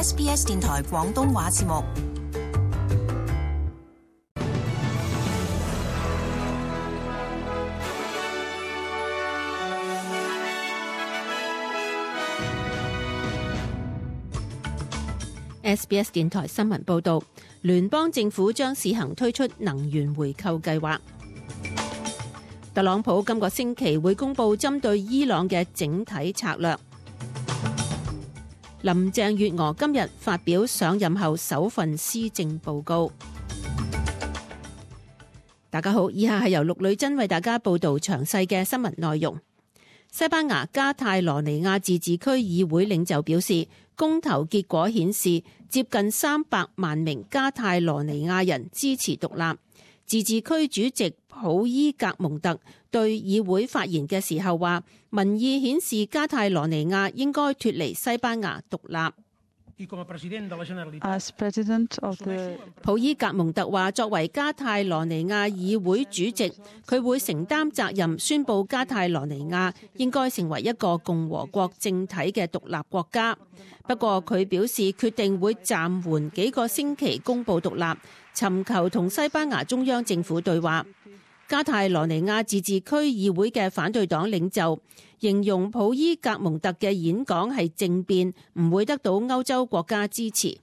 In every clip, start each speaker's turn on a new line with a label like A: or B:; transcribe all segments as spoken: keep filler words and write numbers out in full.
A: S B S 電台廣東話節目。
B: S B S 電台新聞報道，聯邦政府將試行推出能源回購計劃。特朗普今個星期會公布針對伊朗嘅整體策略。林鄭月娥今日發表上任後首份施政報告。大家好，以下係由陸女珍為大家報道詳細嘅新聞內容。西班牙加泰羅尼亞自治區議會領袖表示，公投結果顯示接近三百萬名加泰羅尼亞人支持獨立。自治區主席普伊格蒙特對議會發言嘅時候話，民意顯示加泰羅尼亞應該脫離西班牙獨立。
C: As President of the...
B: 普伊格蒙特話，作為加泰羅尼亞議會主席，佢會承擔責任，宣布加泰羅尼亞應該成為一個共和國政體嘅獨立國家。不過佢表示決定會暫緩幾個星期公布獨立，尋求同西班牙中央政府對話。加泰羅尼亞自治區議會嘅反對黨領袖形容普伊格蒙特嘅演講係政變，唔會得到歐洲國家支持。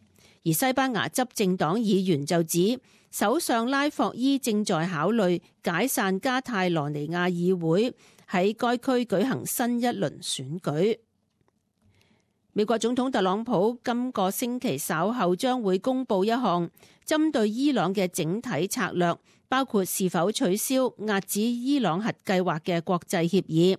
B: 而西班牙執政黨議員就指，首相拉霍伊正在考慮解散加泰羅尼亞議會，喺該區舉行新一輪選舉。美國總統特朗普今個星期稍後將會公布一項針對伊朗嘅整體策略，包括是否取消遏止伊朗核計劃嘅國際協議。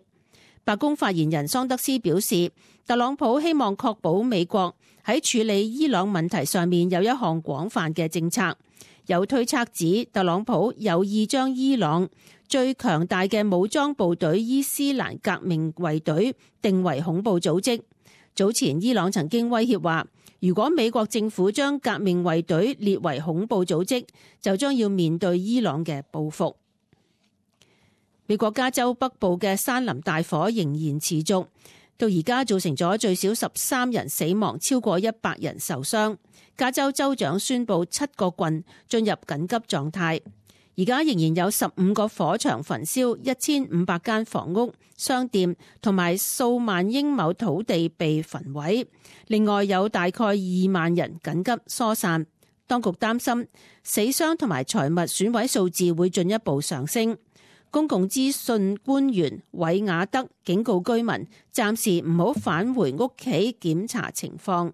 B: 白宮發言人桑德斯表示，特朗普希望確保美國喺處理伊朗問題上面有一項廣泛嘅政策。有推測指，特朗普有意將伊朗最強大嘅武裝部隊伊斯蘭革命衛隊定為恐怖組織。早前伊朗曾經威脅話，如果美國政府將革命衛隊列為恐怖組織，就將要面對伊朗嘅報復。美國加州北部嘅山林大火仍然持續，到而家造成咗最少十三人死亡，超過一百人受傷。加州州長宣布七個郡進入緊急狀態。而家仍然有十五個火場焚燒，一千五百間房屋、商店同埋數萬英畝土地被焚毀。另外有大概二萬人緊急疏散。當局擔心死傷同埋財物損毀數字會進一步上升。公共資訊官員韋亞德警告居民，暫時唔好返回屋企檢查情況。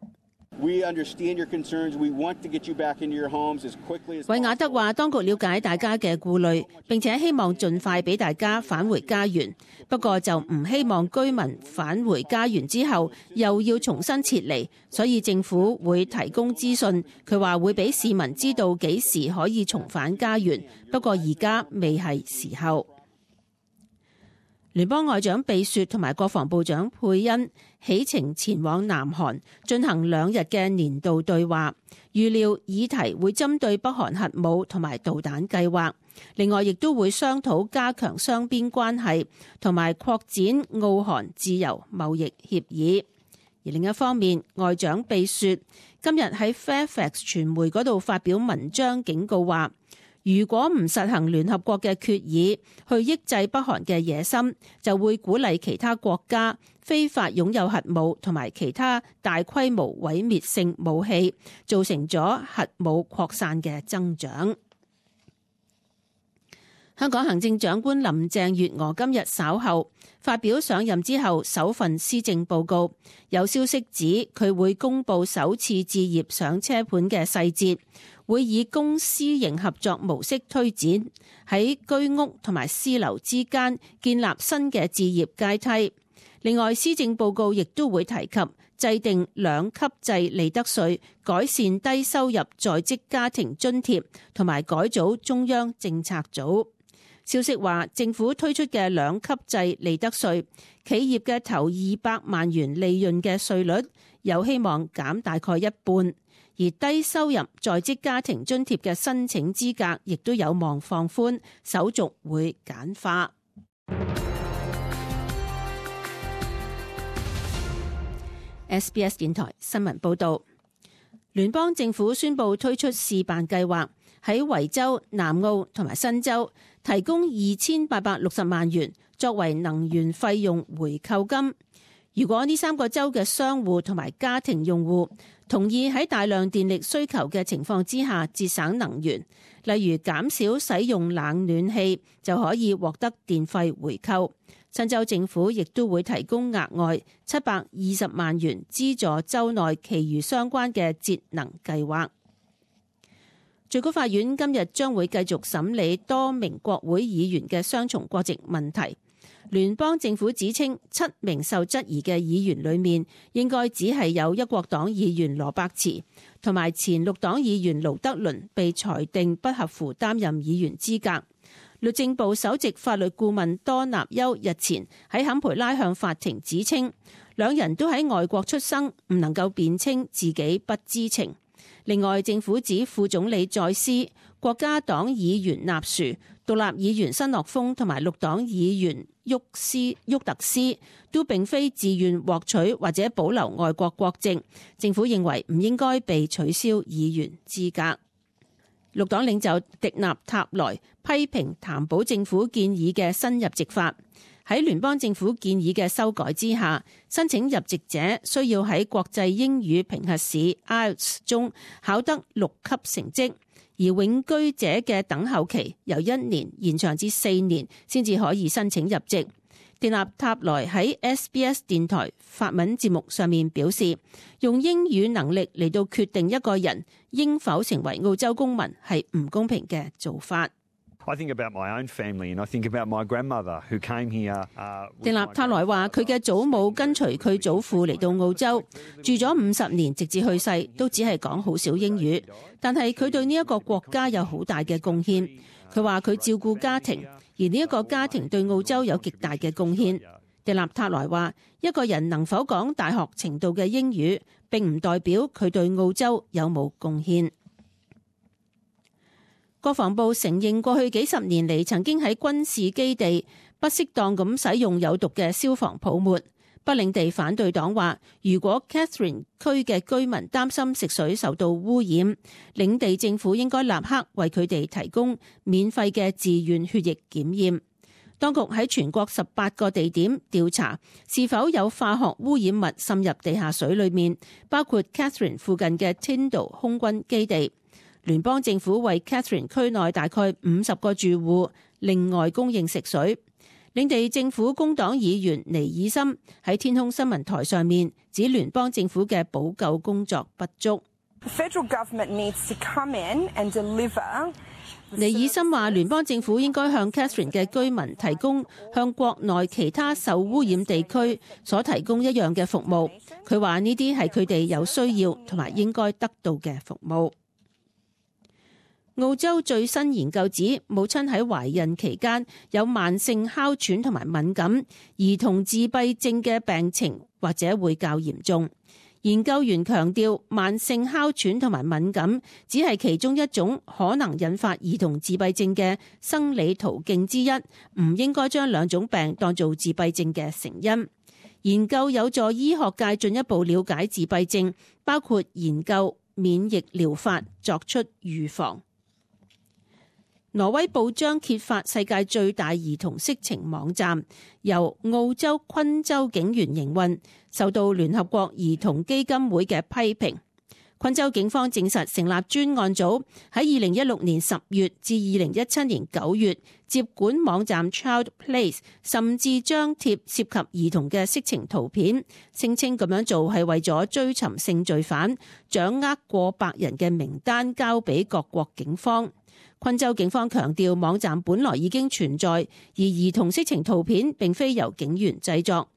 D: We understand your concerns. We want to get you back into your homes as quickly as possible.
B: 韋亞德話，當局了解大家嘅顧慮，並且希望盡快俾大家返回家園。不過就唔希望居民返回家園之後又要重新撤離，所以政府會提供資訊。佢話會俾市民知道幾時可以重返家園，不過而家未係時候。聯邦外長貝雪同埋國防部長佩恩起程前往南韓進行兩日嘅年度對話，預料議題會針對北韓核武同埋導彈計劃，另外亦都會商討加強雙邊關係同埋擴展澳韓自由貿易協議。而另一方面，外長貝雪今日喺 Fairfax 傳媒嗰度發表文章警告話，如果唔實行聯合國嘅決議去抑制北韓嘅野心，就會鼓勵其他國家非法擁有核武同埋其他大規模毀滅性武器，造成咗核武擴散嘅增長。香港行政長官林鄭月娥今日稍後發表上任之後首份施政報告，有消息指佢會公布首次置業上車盤嘅細節，會以公私營合作模式推展，喺居屋同埋私樓之間建立新嘅置業階梯。另外，施政報告亦都會提及制定兩級制利得稅，改善低收入在職家庭津貼，同埋改組中央政策組。消息話，政府推出嘅兩級制利得稅，企業嘅頭二百萬元利潤嘅稅率有希望減大概一半，而低收入在職家庭津貼嘅申請資格亦都有望放寬，手續會簡化。S B S 電台新聞報道。聯邦政府宣布推出試辦計劃，喺維州、南澳同埋新州提供二千八百六十萬元作為能源費用回扣金。如果呢三個州嘅商戶同埋家庭用戶同意喺大量電力需求嘅情況之下節省能源，例如減少使用冷暖氣，就可以獲得電費回扣。新州政府亦都會提供額外七百二十萬元資助州內其餘相關嘅節能計劃。最高法院今日將會繼續審理多名國會議員嘅雙重國籍問題。聯邦政府指稱七名受質疑嘅議員裏面，應該只係有一國黨議員羅伯茨同埋前綠黨議員盧德倫被裁定不合乎擔任議員資格。律政部首席法律顧問多納丘日前喺坎培拉向法庭指稱，兩人都喺外國出生，唔能夠辯稱自己不知情。另外，政府指副總理再斯、國家黨議員納殊、獨立議員新諾豐同埋綠黨議員沃斯沃特斯都並非自願獲取或者保留外國國籍，政府認為唔應該被取消議員資格。綠黨領袖迪納塔萊批評譚保政府建議嘅新入籍法。喺聯邦政府建議嘅修改之下，申請入籍者需要喺國際英語評核試 I E L T S 中考得六級成績，而永居者嘅等候期由一年延長至四年先至可以申請入籍。迪納塔萊喺 S B S 電台法文節目上面表示，用英語能力嚟到決定一個人應否成為澳洲公民係唔公平嘅做法。
C: I think about my own family and I think about my grandmother who came here.
B: 迪納塔萊話佢嘅祖母跟隨佢祖父嚟到澳洲，住咗五十年，直至去世都只係講好少英語，但係佢對呢一個國家有好大嘅貢獻。佢話佢照顧家庭，而呢一個家庭對澳洲有極大嘅貢獻。迪納塔萊話，一個人能否講大學程度嘅英語，並唔代表佢對澳洲有冇貢獻。國防部承認過去幾十年嚟曾經喺軍事基地不適當咁使用有毒嘅消防泡沫。北領地反對黨話，如果 Catherine 區嘅居民擔心食水受到污染，領地政府應該立刻為佢哋提供免費嘅自願血液檢驗。當局喺全國十八個地點調查是否有化學污染物滲入地下水裏面，包括 Catherine 附近嘅 Tyndall 空軍基地。聯邦政府為 Catherine 區內大概五十個住戶另外供應食水。領地政府工黨議員尼爾森喺天空新聞台上面指聯邦政府嘅補救工作不足。尼爾森話聯邦政府應該向 Catherine 嘅居民提供向國內其他受污染地區所提供一樣嘅服務。佢話呢啲係佢哋有需要同埋應該得到嘅服務。澳洲最新研究指，母親喺懷孕期間有慢性哮喘同埋敏感，兒童自閉症嘅病情或者會較嚴重。研究員強調，慢性哮喘同埋敏感只係其中一種可能引發兒童自閉症嘅生理途徑之一，唔應該將兩種病當做自閉症嘅成因。研究有助醫學界進一步了解自閉症，包括研究免疫療法，作出預防。挪威報章揭發世界最大兒童色情網站，由澳洲昆州警員營運，受到聯合國兒童基金會嘅批評。昆州警方證實成立專案組，喺二零一六年十月至二零一七年九月接管網站 Child Place， 甚至張貼涉及兒童嘅色情圖片，聲稱咁樣做係為咗追尋性罪犯，掌握過百人嘅名單交俾各國警方。昆州警方強調，網站本來已經存在，而兒童色情圖片並非由警員製作。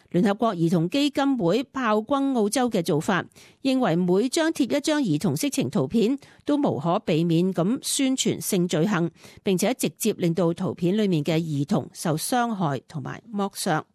B: 聯合國兒童基金會炮轟澳洲嘅做法，認為每張貼一張兒童色情圖片都無可避免咁宣傳性罪行，並且直接令到圖片裡面嘅兒童受傷害同埋剝削。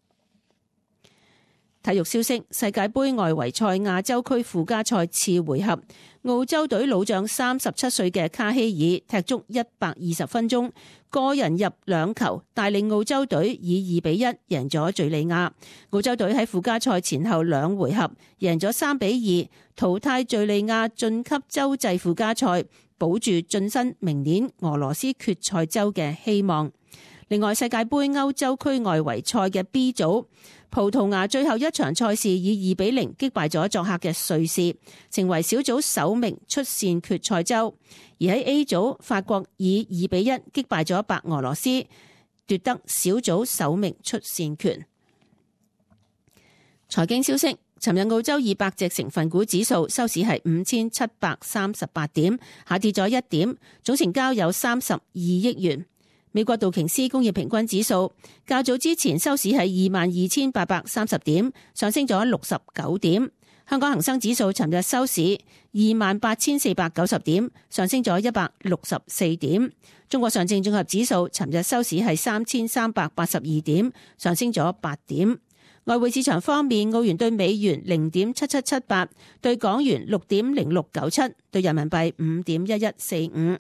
B: 體育消息：世界盃外圍賽亞洲區附加賽次回合，澳洲隊老將三十七歲嘅卡希爾踢足一百二十分鐘，個人入兩球，帶領澳洲隊以二比一贏咗敘利亞。澳洲隊喺附加賽前後兩回合贏咗三比二，淘汰敘利亞晉級洲際附加賽，保住晉身明年俄羅斯決賽周嘅希望。另外，世界盃歐洲區外圍賽嘅 B 組，葡萄牙最後一場賽事以二比零擊敗咗作客嘅瑞士，成為小組首名出線決賽周。而喺 A 組，法國以二比一擊敗咗白俄羅斯，奪得小組首名出線權。財經消息：尋日澳洲二百隻成分股指數收市係五千七百三十八點，下跌咗一點，總成交有三十二億元。美國道瓊斯工業平均指數較早之前收市係二萬二千八百三十點，上升咗六十九點。香港恒生指數尋日收市二萬八千四百九十點，上升咗一百六十四點。中國上證綜合指數尋日收市係三千三百八十二點，上升咗八點。外匯市場方面，澳元對美元零點七七七八，對港元六點零六九七，對人民幣五點一一四五。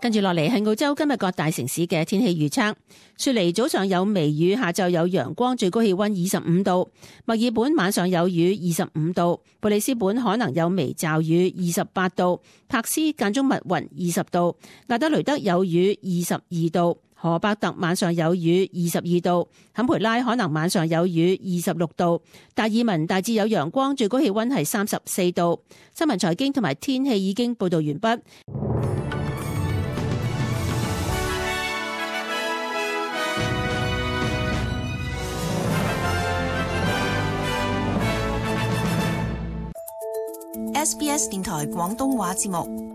B: 跟住落嚟係澳洲今日各大城市嘅天氣預測。雪梨早上有微雨，下晝有陽光，最高氣溫二十五度。墨爾本晚上有雨，二十五度。布里斯本可能有微驟雨，二十八度。柏斯間中密雲，二十度。亞德雷德有雨，二十二度。荷伯特晚上有雨，二十二度。坎培拉可能晚上有雨，二十六度。達爾文大致有陽光，最高氣溫係三十四度。新聞財經同埋天氣已經報道完畢。
A: S B S 電台廣東話節目。